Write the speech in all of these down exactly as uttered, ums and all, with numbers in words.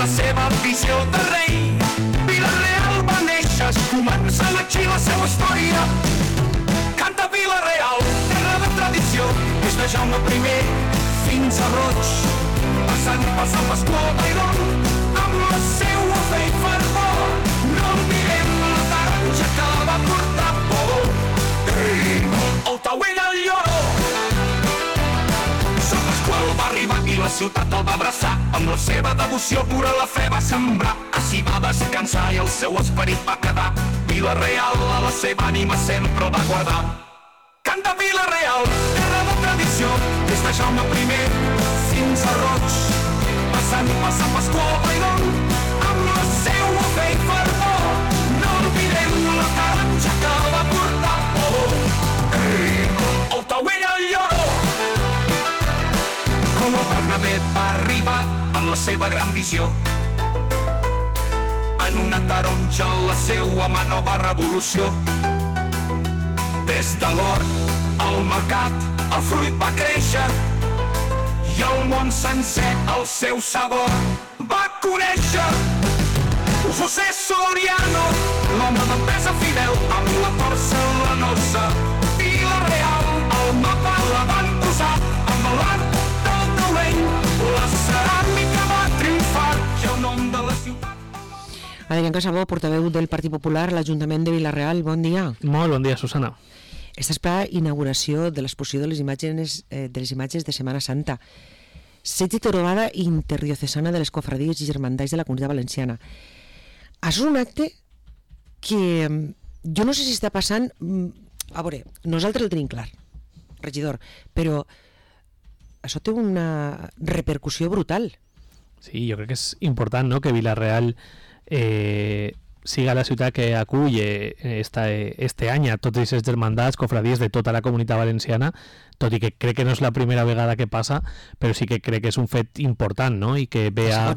la seva visió de rei. Vila-real va néixer, comença aquí la seva història. Canta Vila-real, terra de tradició, des de Jaume primer fins a Roig, passant per Sant Pasqual Bailón, amb la seua fe i fervor. No oblidem la taronja que va portar por. El Tauell al Lloró. Sant Pasqual va arribar i la ciutat el va abraçar. Amb la seva devoció pura la fe va sembrar. Així va descansar i el seu esperit va quedar. Vila-real a la seva ànima sempre el va guardar. Canta Vila-real, terra de tradició, des de Jaume primer fins a Roig, passant per Sant Pasqual Bailón, amb la seua fe i fervor. No oblidem la taronja que va portar por. El Tauell al Lloró. Com el Bernabé va arribar amb la seva gran visió, en una taronja la seua mà nova revolució. Des de l'hort al mercat el fruit va créixer i el món sencer el seu sabor va conèixer. José Soriano, l'home d'empresa fidel, amb la porcelanosa Vila-real, el mapa la van posar amb l'art del taulell. La ceràmica va triomfar i el nom de la ciutat. Adrián Casabó, portaveu del Partit Popular a l'Ajuntament de Vila-real, bon dia. Molt bon dia, Susana. Estàs per la inauguració de l'exposició de les imatges, eh, de les imatges de Setmana Santa. Setge trobada interdiocesana de les cofradies i germandats de la Comunitat Valenciana. Això és un acte que jo no sé si està passant... A veure, nosaltres el tenim clar, regidor, però això té una repercussió brutal. Sí, jo crec que és important, no?, que Vila-real eh, siga la ciutat que acull esta, este any a totes aquestes germandats, cofradies de tota la Comunitat Valenciana, tot i que crec que no és la primera vegada que passa, però sí que crec que és un fet important, no?, i que ve a,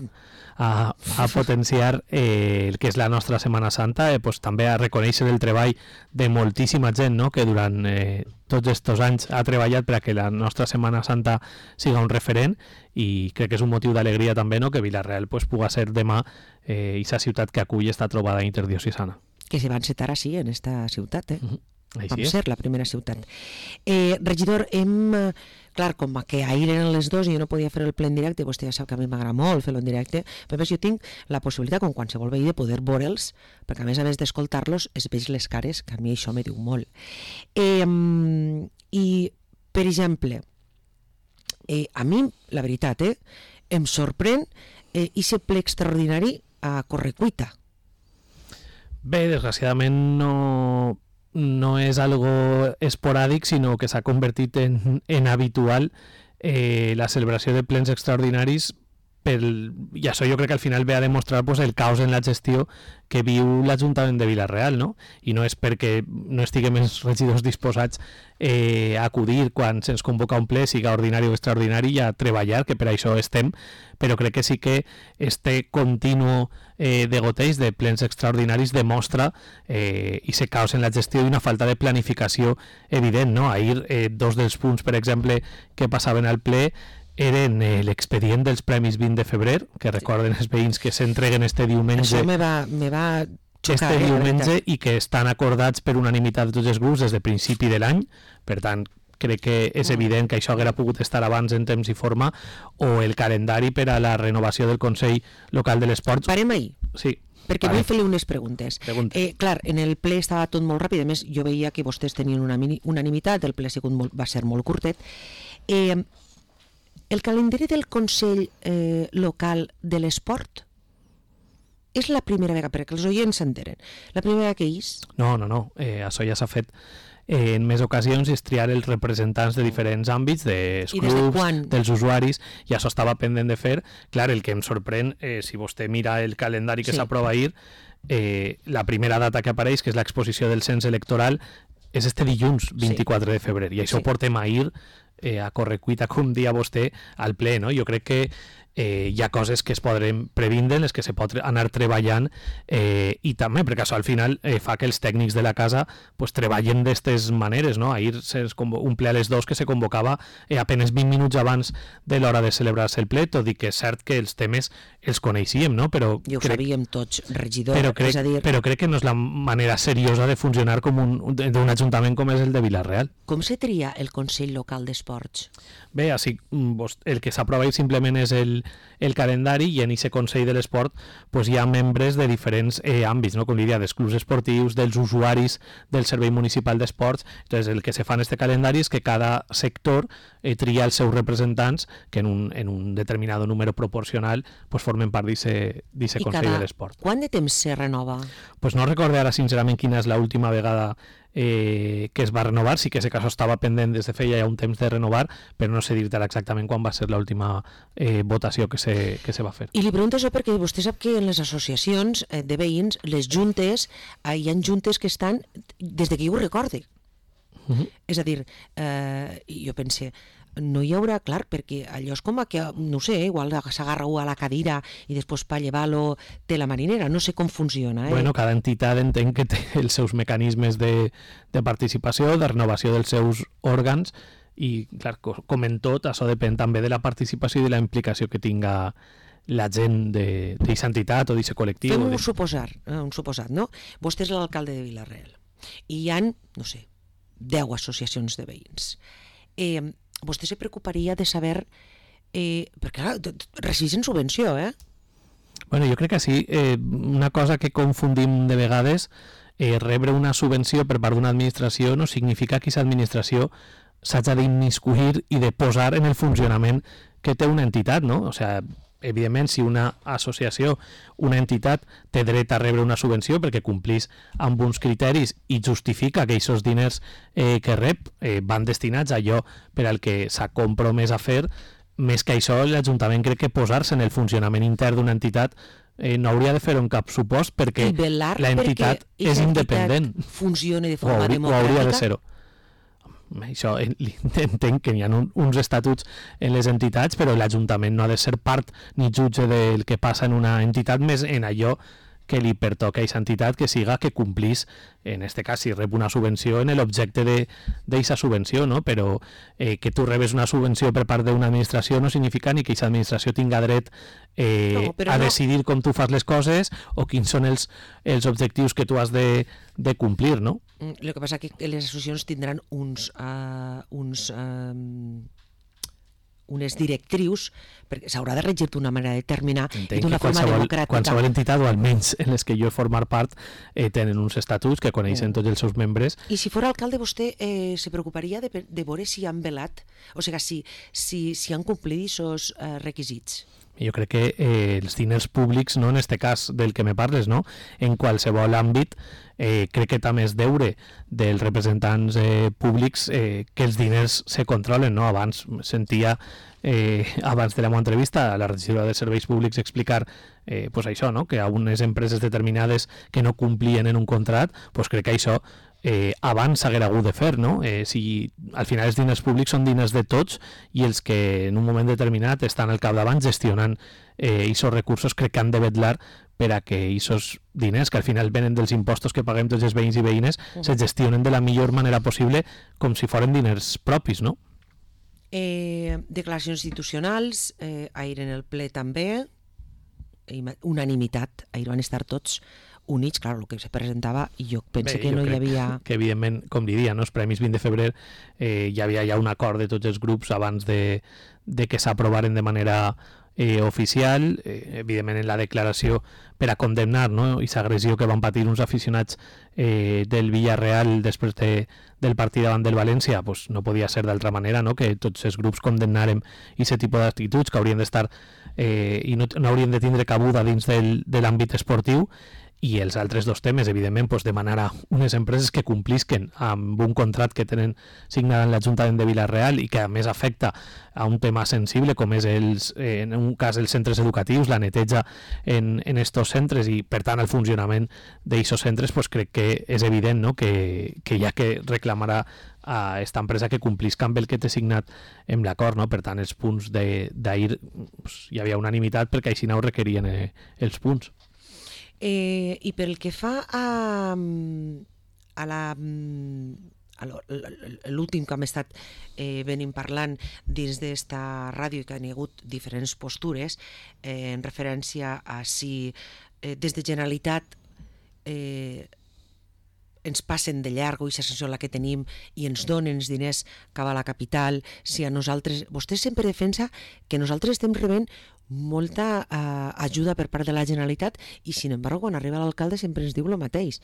a, a potenciar eh, el que és la nostra Setmana Santa, eh, pues, també a reconèixer el treball de moltíssima gent, no?, que durant eh, tots aquests anys ha treballat per a que la nostra Setmana Santa siga un referent, i crec que és un motiu d'alegria també, no?, que Vila-real pues, puga ser demà eh, aquesta ciutat que acull esta trobada interdiocesana. Que se va encetar així, en esta ciutat, eh? Uh-huh. Vam ser la primera ciutat. Eh, regidor, hem... Clar, com que ahir eren les dos i jo no podia fer el ple en directe, vostè ja sap que a mi m'agrada molt fer-lo en directe, però més jo tinc la possibilitat, com qualsevol veí, de poder veure'ls, perquè a més a més d'escoltar-los es veig les cares, que a mi això me diu molt. Eh, I, per exemple, eh, a mi, la veritat, eh, em sorprèn eh, ese ple extraordinari a Correcuita. Bé, desgraciadament no... no és algo esporàdic, sinó que s'ha convertit en, en habitual eh, la celebració de plens extraordinaris pel, i això jo crec que al final ve a demostrar pues, el caos en la gestió que viu l'Ajuntament de Vila-real, no? I no és perquè no estiguem els regidors disposats eh, a acudir quan se'ns convoca un ple, siga ordinari o extraordinari, i a treballar, que per això estem, però crec que sí que este continuo eh, de goteig de plens extraordinaris demostra eh, ese caos en la gestió i una falta de planificació evident, no? Ahir eh, dos dels punts, per exemple, que passaven al ple eren eh, l'expedient dels Premis vint de febrer, que recorden els veïns que s'entreguen este diumenge. Això me va, me va xocar, este eh, diumenge, i que estan acordats per unanimitat de tots els grups des de principi de l'any. Per tant, crec que és evident que això hauria pogut estar abans en temps i forma, o el calendari per a la renovació del Consell Local de l'Esport. Parem ahir. Sí. Perquè vull fer-li unes preguntes. Eh, clar, en el ple estava tot molt ràpid, a més jo veia que vostès tenien una unanimitat, el ple molt, va ser molt curtet. Eh, el calendari del Consell eh, Local de l'Esport és la primera vegada, perquè els oients s'enteren, la primera vegada que és? No, no, no, eh, això ja s'ha fet eh, en més ocasions, és triar els representants de diferents àmbits, dels clubs, dels usuaris, i això estava pendent de fer. Clar, el que em sorprèn, eh, si vostè mira el calendari que sí. s'aprova ahir, eh, la primera data que apareix, que és l'exposició del cens electoral, és este dilluns, vint-i-quatre sí. de febrer, i això sí. portem ahir eh, a Correcuita, com dia vostè, al ple, no? Jo crec que eh, hi ha coses que es poden previndre, les que se pot anar treballant, eh, i també, perquè això al final eh, fa que els tècnics de la casa pues, treballen d'aquestes maneres, no? Ahir es un ple a les dos que se convocava eh, apenas vint minuts abans de l'hora de celebrar-se el ple, tot i que és cert que els temes els coneixíem, no? Però I ho crec, sabíem tots, regidor. però crec, és a dir, però crec que no és la manera seriosa de funcionar com un, d'un ajuntament com és el de Vila-real. com se tria el Consell Local d'Esports? Bé, així, el que s'aprova simplement és el, el calendari, i en aquest Consell de l'Esport pues, hi ha membres de diferents eh, àmbits, no? Com diria, dels clubs esportius, dels usuaris del Servei Municipal d'Esports. Entonces, el que se fa en este calendari és que cada sector eh, tria els seus representants que en un, en un determinat número proporcional pues, formen part d'aquest Consell de l'Esport. Quant de temps se renova? Pues no recordo ara sincerament quina és l'última vegada eh, que es va renovar, sí que ese caso estava pendent des de feia ja un temps de renovar, però no sé dir-te exactament quan va ser l'última eh, votació que se, que se va fer. I li pregunto això perquè vostè sap que en les associacions eh, de veïns, les juntes, eh, hi ha juntes que estan des de que jo ho recorde. Uh-huh. És a dir, eh, jo pense, no hi haurà, clar, perquè allò és com que, no sé, igual s'agarra a la cadira i després per llevar-lo té la marinera, no sé com funciona. Eh? Bueno, cada entitat entenc que té els seus mecanismes de, de participació, de renovació dels seus òrgans, i, clar, com en tot, això depèn també de la participació i de la implicació que tinga la gent d'aquesta entitat o d'aquest col·lectiu. Fem un de... suposar, eh, un suposat, no? Vostè és l'alcalde de Vila-real i hi ha, no sé, deu associacions de veïns. Eh, vostè se preocuparia de saber, eh, perquè clar, recibeixen subvenció, eh? Bueno, jo crec que sí. Eh, una cosa que confundim de vegades, eh, rebre una subvenció per part d'una administració no significa que aquesta administració s'haja d'immiscuir i de posar en el funcionament que té una entitat, no? O sigui, evidentment, si una associació, una entitat, té dret a rebre una subvenció perquè complís amb uns criteris i justifica que aquests diners eh, que rep eh, van destinats a allò per al que s'ha compromès a fer, més que això, l'Ajuntament crec que posar-se en el funcionament intern d'una entitat eh, no hauria de fer-ho en cap supost perquè l'entitat és independent. Funciona de forma o hauria, democràtica. O hauria de ser-ho. Això entenc que hi ha un, uns estatuts en les entitats, però l'Ajuntament no ha de ser part ni jutge del que passa en una entitat, més en allò que li pertoca a aquesta entitat, que siga que complís, en este cas, si rep una subvenció, en l'objecte d'aquesta subvenció, no? Però eh, que tu rebes una subvenció per part d'una administració no significa ni que aquesta administració tinga dret eh, no, a no. decidir com tu fas les coses o quins són els, els objectius que tu has de, de complir, no? El que passa que les associacions tindran uns... Uh, uns uh, unes directrius, perquè s'haurà de regir d'una manera determinada i d'una forma democràtica. Qualsevol entitat, o almenys en les que jo he format part, eh, tenen uns estatuts que coneixen mm. tots els seus membres. I si fora alcalde, vostè eh, se preocuparia de, de veure si han velat, o sigui, si, si, si han complit aquests eh, requisits? Jo crec que eh, els diners públics, no en este cas del que me parles, no? En qualsevol àmbit, eh, crec que també és deure dels representants eh, públics eh, que els diners se controlen, no? Abans sentia, eh, abans de la meva entrevista, a la regidora de Serveis Públics explicar eh, pues això, no? Que a unes empreses determinades que no complien en un contrat, pues crec que això Eh, abans s'haguera hagut de fer, no? Eh, si al final els diners públics són diners de tots i els que en un moment determinat estan al capdavant gestionant aquests eh, recursos crec que han de vetllar per a que aquests diners, que al final venen dels impostos que paguem tots els veïns i veïnes, uh-huh. se gestionen de la millor manera possible com si foren diners propis, no? Eh, declaracions institucionals, eh, ahir en el ple també, unanimitat, ahir van estar tots units, clar, el que se presentava, i jo penso Bé, que jo no hi havia... Que, evidentment, com diria, no? Els Premis vint de febrer eh, hi havia ja un acord de tots els grups abans de, de que s'aprovaren de manera eh, oficial, eh, evidentment en la declaració per a condemnar, no? Aquesta agressió que van patir uns aficionats eh, del Villarreal després de, del partit davant del València, pues no podia ser d'altra manera, no? Que tots els grups condemnarem aquest tipus d'actituds que haurien d'estar eh, i no, no haurien de tindre cabuda dins del, de l'àmbit esportiu. i els altres dos temes, evidentment, doncs demanar a unes empreses que complisquen amb un contracte que tenen signat en l'Ajuntament de Vila-real i que a més afecta a un tema sensible com és els, eh, en un cas els centres educatius, la neteja en, en estos centres i per tant el funcionament d'aquests centres, doncs crec que és evident, no? que, que hi ha que reclamar a aquesta empresa que complisca amb el que té signat amb l'acord, no? Per tant els punts d'ahir doncs, hi havia unanimitat perquè així no ho requerien eh, els punts. Eh, I pel que fa a, a la a l'últim que hem estat eh, venim parlant dins d'esta ràdio i que hi ha hagut diferents postures eh, en referència a si eh, des de Generalitat eh, ens passen de llarg o aquesta sensació la que tenim i ens donen els diners cap a la capital, si a nosaltres... Vostè sempre defensa que nosaltres estem rebent molta eh, ajuda per part de la Generalitat i, sin embargo, quan arriba l'alcalde sempre ens diu el mateix,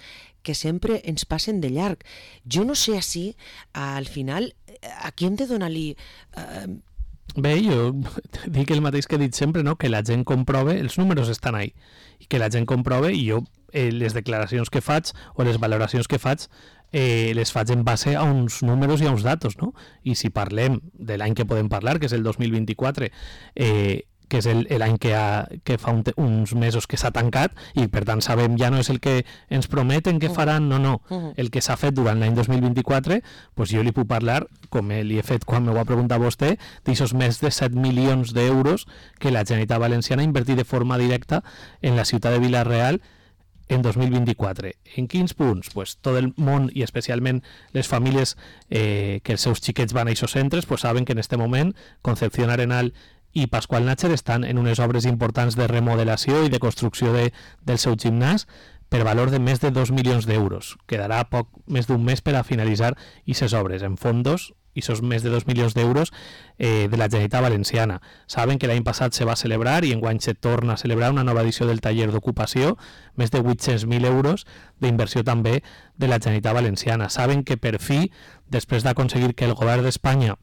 que sempre ens passen de llarg. Jo no sé si, al final, aquí hem de donar-li... Eh... Bé, jo dic el mateix que he dit sempre, no? Que la gent comprove, els números estan ahí, i que la gent comprove i jo eh, les declaracions que faig o les valoracions que faig eh, les faig en base a uns números i a uns datos, no? I si parlem de l'any que podem parlar, que és el dos mil vint-i-quatre, eh, que és l'any que, ha, que fa un, uns mesos que s'ha tancat i per tant sabem ja no és el que ens prometen que faran, no, no, el que s'ha fet durant l'any dos mil vint-i-quatre, doncs jo li puc parlar, com li he fet quan m'ho va preguntar vostè, d'aixòs més de set milions d'euros que la Generalitat Valenciana ha invertit de forma directa en la ciutat de Vila-real en dos mil vint-i-quatre. En quins punts? Pues tot el món i especialment les famílies eh, que els seus xiquets van a aquests centres pues saben que en aquest moment Concepción Arenal i Pasqual Nácher estan en unes obres importants de remodelació i de construcció de, del seu gimnàs per valor de més de dos milions d'euros. Quedarà poc més d'un mes per a finalitzar aquestes obres en fondos, i esos més de dos milions d'euros eh, de la Generalitat Valenciana. Saben que l'any passat se va celebrar i enguany se torna a celebrar una nova edició del taller d'ocupació, més de vuit-cents mil euros d'inversió també de la Generalitat Valenciana. Saben que per fi, després d'aconseguir que el govern d'Espanya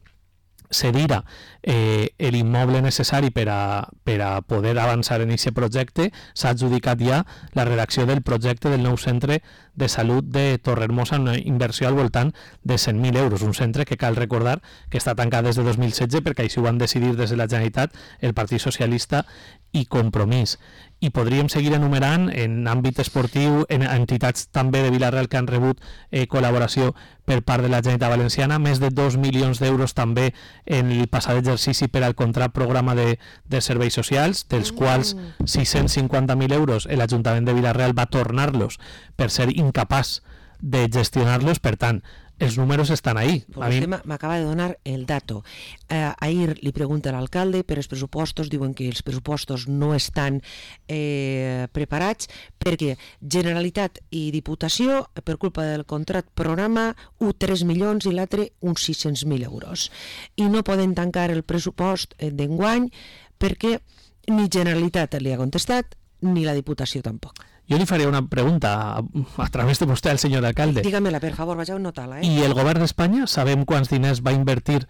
cedira eh, l'immoble necessari per a, per a poder avançar en aquest projecte, s'ha adjudicat ja la redacció del projecte del nou centre de salut de Torrehermosa, una inversió al voltant de cent mil euros, un centre que cal recordar que està tancat des de dos mil setze perquè així ho van decidir des de la Generalitat el Partit Socialista i Compromís. I podríem seguir enumerant en àmbit esportiu, en entitats també de Vila-real que han rebut eh, col·laboració per part de la Generalitat Valenciana, més de dos milions d'euros també en el passat exercici per al contrat programa de, de serveis socials, dels quals sis-cents cinquanta mil euros l'Ajuntament de Vila-real va tornar-los per ser incapaç de gestionar-los, per tant, els números estan ahí. Pues a vostè m'acaba de donar el dato. Eh, ahir li pregunta a l'alcalde per els pressupostos, diuen que els pressupostos no estan eh, preparats perquè Generalitat i Diputació, per culpa del contract programa, un tres milions i l'altre uns sis-cents mil euros. I no poden tancar el pressupost d'enguany perquè ni Generalitat li ha contestat ni la Diputació tampoc. Jo li faria una pregunta a, a través de vostè al senyor alcalde. Dígamela, per favor, vaig a anotar-la. Eh? I el govern d'Espanya, sabem quants diners va invertir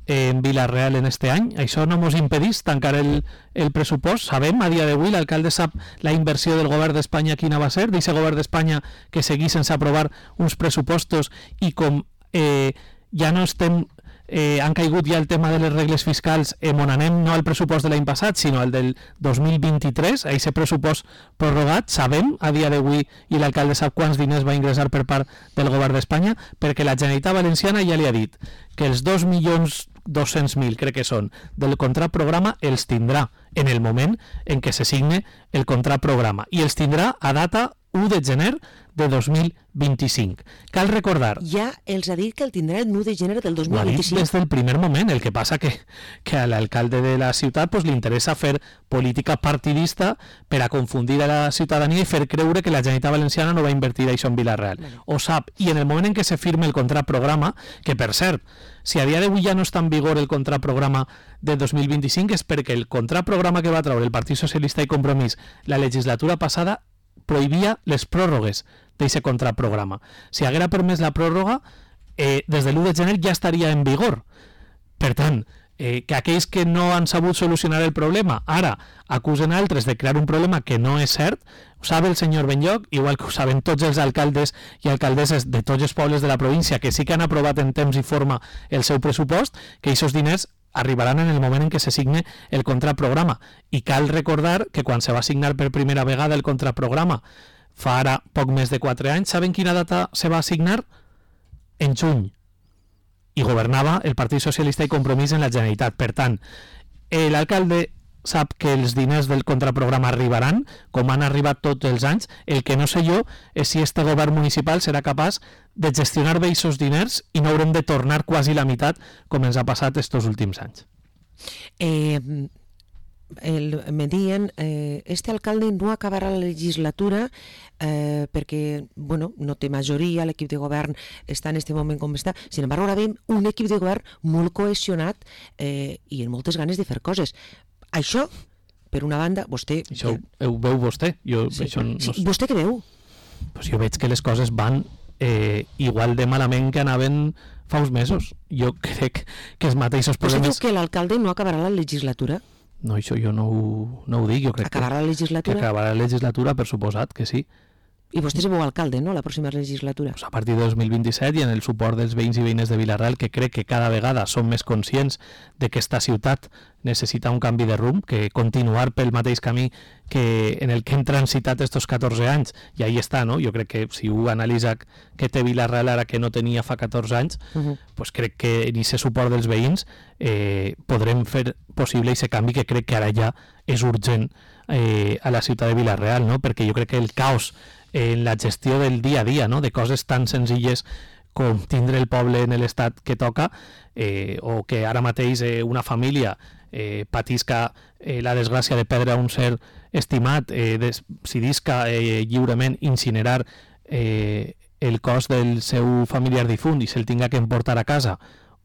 en Vila-real en este any? Això no mos impedís tancar el, el pressupost? Sabem, a dia d'avui, l'alcalde sap la inversió del govern d'Espanya quina va ser, d'aquest govern d'Espanya que seguís sense aprovar uns pressupostos i com eh, ja no estem... Eh, han caigut ja el tema de les regles fiscals eh, on anem no al pressupost de l'any passat sinó al del dos mil vint-i-tres, a aquest pressupost prorrogat, sabem a dia d'avui i l'alcalde sap quants diners va ingressar per part del govern d'Espanya, perquè la Generalitat Valenciana ja li ha dit que els dos milions dos-cents mil, crec que són, del contrat programa els tindrà en el moment en què se signe el contrat programa i els tindrà a data u de gener de dos mil vint-i-cinc. Cal recordar... Ja els ha dit que el tindrà el u de gener del dos mil vint-i-cinc. Ho ha dit des del primer moment, el que passa que, que a l'alcalde de la ciutat pues, li interessa fer política partidista per a confundir a la ciutadania i fer creure que la Generalitat Valenciana no va invertir això en Vila-real. Bueno. Ho sap, i en el moment en què se firme el contrat programa, que per cert, si a dia d'avui ja no està en vigor el contrat programa de dos mil vint-i-cinc és perquè el contrat programa que va treure el Partit Socialista i Compromís la legislatura passada prohibia les pròrrogues d'aquest contrat programa. Si haguera permès la pròrroga, eh, des de l'u de gener ja estaria en vigor. Per tant, eh, que aquells que no han sabut solucionar el problema ara acusen altres de crear un problema que no és cert, ho sabe el senyor Benlloch, igual que ho saben tots els alcaldes i alcaldesses de tots els pobles de la província que sí que han aprovat en temps i forma el seu pressupost, que aquests diners arribaran en el moment en què se signe el contraprograma. I cal recordar que quan se va signar per primera vegada el contraprograma fa ara poc més de quatre anys, saben quina data se va signar? En juny. I governava el Partit Socialista i Compromís en la Generalitat. Per tant, l'alcalde sap que els diners del contraprograma arribaran, com han arribat tots els anys. El que no sé jo és si este govern municipal serà capaç de gestionar bé aquests diners i no haurem de tornar quasi la meitat com ens ha passat estos últims anys. Eh, el, me dient, eh, este alcalde no acabarà la legislatura eh, perquè bueno, no té majoria, l'equip de govern està en este moment com està. Sin embargo, ara veiem un equip de govern molt cohesionat eh, i amb moltes ganes de fer coses. Això, per una banda, vostè... Això ho veu vostè? Jo, sí, això no... sí, vostè què veu? Pues jo veig que les coses van eh, igual de malament que anaven fa uns mesos. Jo crec que els mateixos problemes... Vostè diu que l'alcalde no acabarà la legislatura? No, això jo no ho, no ho dic. Jo crec acabarà que, la legislatura? Que acabarà la legislatura, per suposat que sí. I vostè se veu alcalde, no?, la pròxima legislatura. Pues a partir de dos mil vint-i-set i en el suport dels veïns i veïnes de Vila-real, que crec que cada vegada són més conscients de que esta ciutat necessita un canvi de rumb, que continuar pel mateix camí que en el que hem transitat estos catorze anys, i ahí està, no? Jo crec que si ho analitza que té Vila-real ara que no tenia fa catorze anys, uh-huh. pues crec que en aquest suport dels veïns eh, podrem fer possible aquest canvi que crec que ara ja és urgent eh, a la ciutat de Vila-real, no? Perquè jo crec que el caos en la gestió del dia a dia, no? De coses tan senzilles com tindre el poble en l'estat que toca, eh, o que ara mateix eh, una família eh, patisca eh, la desgràcia de perdre un ser estimat, eh, decidisca eh, lliurement incinerar eh, el cos del seu familiar difunt i se'l tinga que emportar a casa,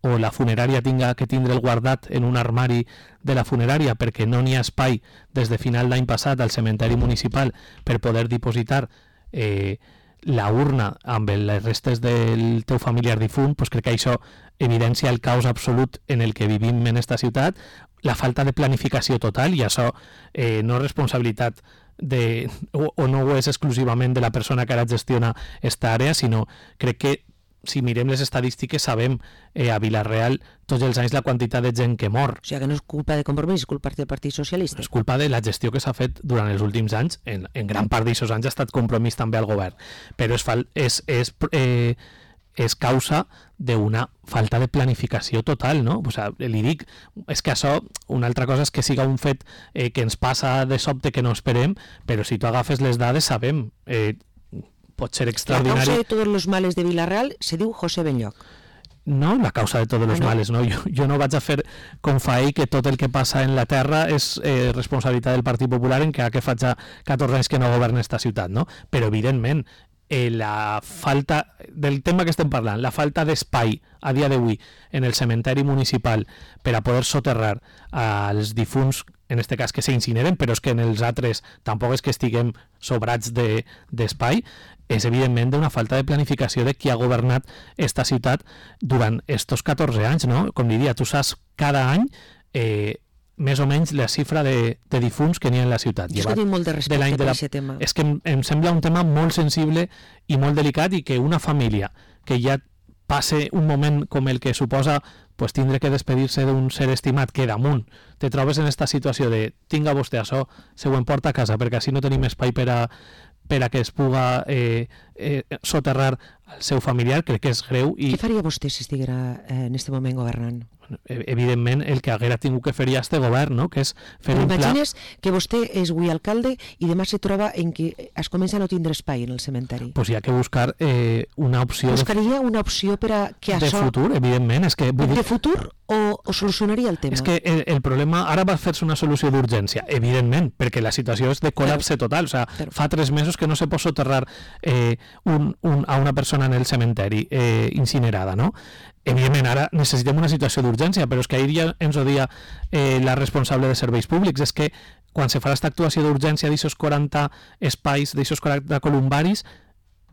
o la funerària tinga que tindre el guardat en un armari de la funerària perquè no n'hi ha espai des de final d'any passat al cementeri municipal per poder dipositar eh, la urna amb les restes del teu familiar difunt, pues crec que això evidencia el caos absolut en el que vivim en esta ciutat, la falta de planificació total, i això eh, no és responsabilitat de, o, o no ho és exclusivament de la persona que ara gestiona esta àrea, sinó crec que si mirem les estadístiques sabem eh, a Vila-real tots els anys la quantitat de gent que mor. O sigui que no és culpa de Compromís, és culpa del Partit Socialista. És culpa de la gestió que s'ha fet durant els últims anys. En, en gran part d'aquests anys ha estat Compromís també al govern. Però és, fal, és, és, eh, és causa d'una falta de planificació total, no? O sigui, li dic, és que això, una altra cosa és que siga un fet eh, que ens passa de sobte que no esperem, però si tu agafes les dades sabem... Eh, pot ser extraordinari. La causa de tots els males de Vila-real se diu José Benlloch. No, la causa de tots els ah, no. males, no. Jo, jo no vaig a fer com fa ell que tot el que passa en la terra és eh, responsabilitat del Partit Popular, en que, que fa ja catorze anys que no governa esta ciutat, no? Però evidentment eh, la falta del tema que estem parlant, la falta d'espai a dia d'avui en el cementeri municipal per a poder soterrar als difunts, en este cas que s'incineren, però és que en els altres tampoc és que estiguem sobrats de, d'espai, és evidentment d'una falta de planificació de qui ha governat esta ciutat durant estos catorze anys, no? Com diria, tu saps cada any eh, més o menys la xifra de, de difunts que n'hi ha en la ciutat. Jo és que tinc molt de respecte de per aquest tema. És que em, em sembla un tema molt sensible i molt delicat, i que una família que ja passe un moment com el que suposa pues, tindre que despedir-se d'un ser estimat que damunt te trobes en esta situació de tinga vostè això, se ho emporta a casa perquè així no tenim espai per a per a que es puga eh, eh, soterrar el seu familiar, crec que és greu. I... Què faria vostè si estiguera eh, en aquest moment governant? Evidentment, el que haguera tingut que fer ja este govern, no? Que és fer Però un pla... imagines que vostè és avui alcalde i demà se troba en que es comença a no tindre espai en el cementeri. Pues hi ha que buscar eh, una opció... Buscaria de... una opció per a que de això... futur, evidentment. És que... De futur o, o solucionaria el tema? És que el, el problema... Ara va fer-se una solució d'urgència, evidentment, perquè la situació és de col·lapse total. O sea, Però... fa tres mesos que no se pot soterrar eh, un, un, a una persona en el cementeri eh, incinerada, no? Evidentment, ara necessitem una situació d'urgència, però és que ahir ja ens ho dia eh, la responsable de serveis públics, és que quan se farà aquesta actuació d'urgència d'aixos quaranta espais, d'aixos quaranta columbaris,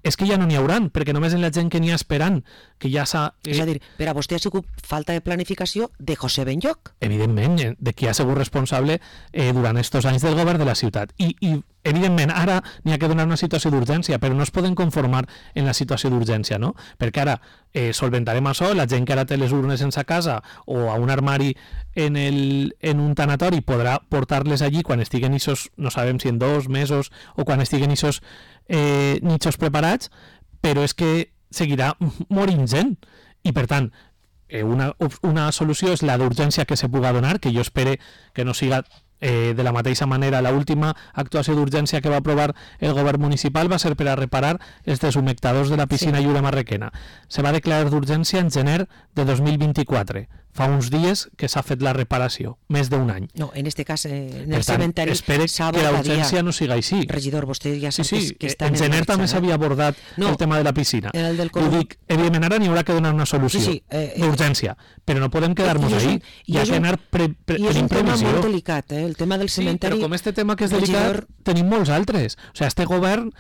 és que ja no n'hi hauran, perquè només en la gent que n'hi ha esperant, que ja s'ha... Eh... És a dir, per a vostè ha sigut falta de planificació de José Benlloch. Evidentment, de qui ha sigut responsable eh, durant estos anys del govern de la ciutat. I, i evidentment, ara n'hi ha que donar una situació d'urgència, però no es poden conformar en la situació d'urgència, no? Perquè ara eh, solventarem això, la gent que ara té les urnes en sa casa o a un armari en, el, en un tanatori podrà portar-les allí quan estiguen ixos, no sabem si en dos mesos o quan estiguen ixos eh, nichos preparats, però és que seguirà morint gent. I per tant, eh, una, una solució és la d'urgència que se puga donar, que jo espere que no siga eh, de la mateixa manera. L'última actuació d'urgència que va aprovar el govern municipal va ser per a reparar els deshumectadors de la piscina sí. Lliure Marrequena. Se va declarar d'urgència en gener de dos mil vint-i-quatre. Fa uns dies que s'ha fet la reparació, més d'un any. No, en este cas, eh, en per el tant, cementeri espere que la urgència no siga així. Regidor, vostè ja sap sí, sí, que, que està en en gener marxa, també eh? s'havia abordat no, el tema de la piscina. El del Ho dic, evidentment ara n'hi haurà que donar una solució sí, sí, eh, d'urgència, però no podem quedar-nos ahí. Hi ha que anar pre, pre, i és un tema previsió. molt delicat, eh? El tema del sí, cementeri... però com este tema que és delicat, regidor... tenim molts altres. O sigui, este govern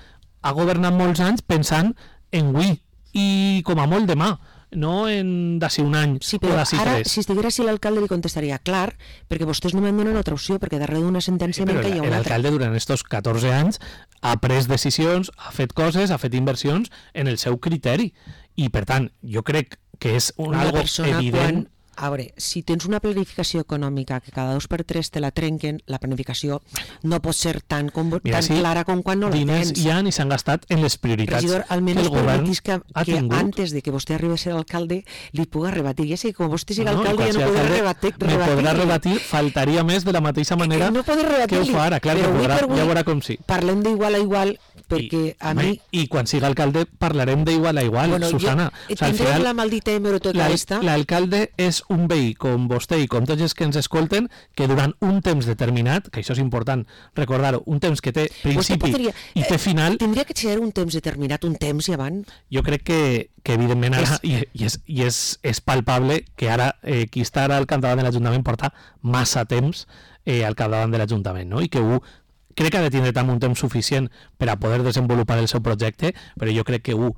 ha governat molts anys pensant en avui i com a molt demà, no en d'ací un any sí, o d'ací ara, tres. Si estiguera així l'alcalde li contestaria, clar, perquè vostès no me'n donen altra opció, perquè darrere d'una sentència sí, menca hi ha una altra. L'alcalde durant estos catorze anys ha pres decisions, ha fet coses, ha fet inversions en el seu criteri. I per tant, jo crec que és un una algo persona evident... Quan... A veure, si tens una planificació econòmica que cada dos per tres te la trenquen, la planificació no pot ser tan, com, Mira, tan sí, clara com quan no la diners tens. hi ha i s'han gastat en les prioritats Regidor, almenys que el govern que, ha que tingut. antes de que vostè arribi a ser alcalde li puga rebatir. Ja sé que com vostè sigui no, alcalde ja no podrà rebatir. Me podrà rebatir, faltaria més de la mateixa manera que, no que ho fa ara. Clar, que podrà, ja veurà com sí. Parlem d'igual a igual, perquè I, a mi... I quan siga alcalde parlarem d'igual a igual, bueno, Susana. Jo, o sea, tindrem la maldita hemeroteca esta. L'alcalde és un veí com vostè i com tots els que ens escolten, que durant un temps determinat, que això és important recordar-ho, un temps que té principi podria, i té final... Eh, tindria que ser un temps determinat, un temps i avant? Jo crec que, que evidentment ara, és... i, i, és, i és, és palpable que ara eh, qui està ara al capdavant de l'Ajuntament porta massa temps eh, al capdavant de l'Ajuntament, no? I que ho crec que ha de tindre també un temps suficient per a poder desenvolupar el seu projecte, però jo crec que ho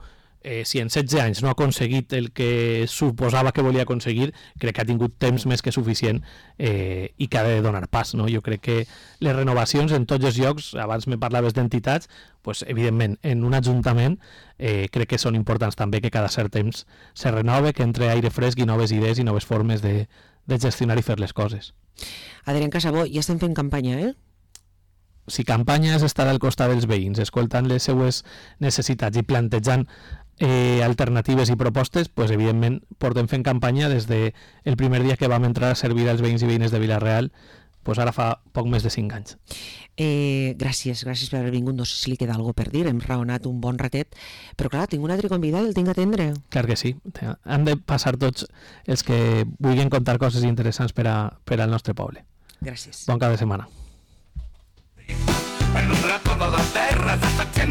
Eh, si en setze anys no ha aconseguit el que suposava que volia aconseguir, crec que ha tingut temps més que suficient eh, i que ha de donar pas, no? Jo crec que les renovacions en tots els llocs, abans me parlaves d'entitats, pues, evidentment en un ajuntament eh, crec que són importants també que cada cert temps se renove, que entre aire fresc i noves idees i noves formes de, de gestionar i fer les coses. Adrián Casabó, ja estem fent campanya, eh? Si campanya és estar al costat dels veïns, escoltant les seues necessitats i plantejant Eh, alternatives i propostes, pues, evidentment portem fent campanya des del de primer dia que vam entrar a servir als veïns i veïnes de Vila-real, pues ara fa poc més de cinc anys. Eh, gràcies, gràcies per haver vingut. No sé si li queda alguna per dir, hem raonat un bon ratet, però clar, tinc un altre convidat, el tinc a atendre. Clar que sí, han de passar tots els que vulguin contar coses interessants per, a, per al nostre poble. Gràcies. Bon cap de setmana. Per tota la terra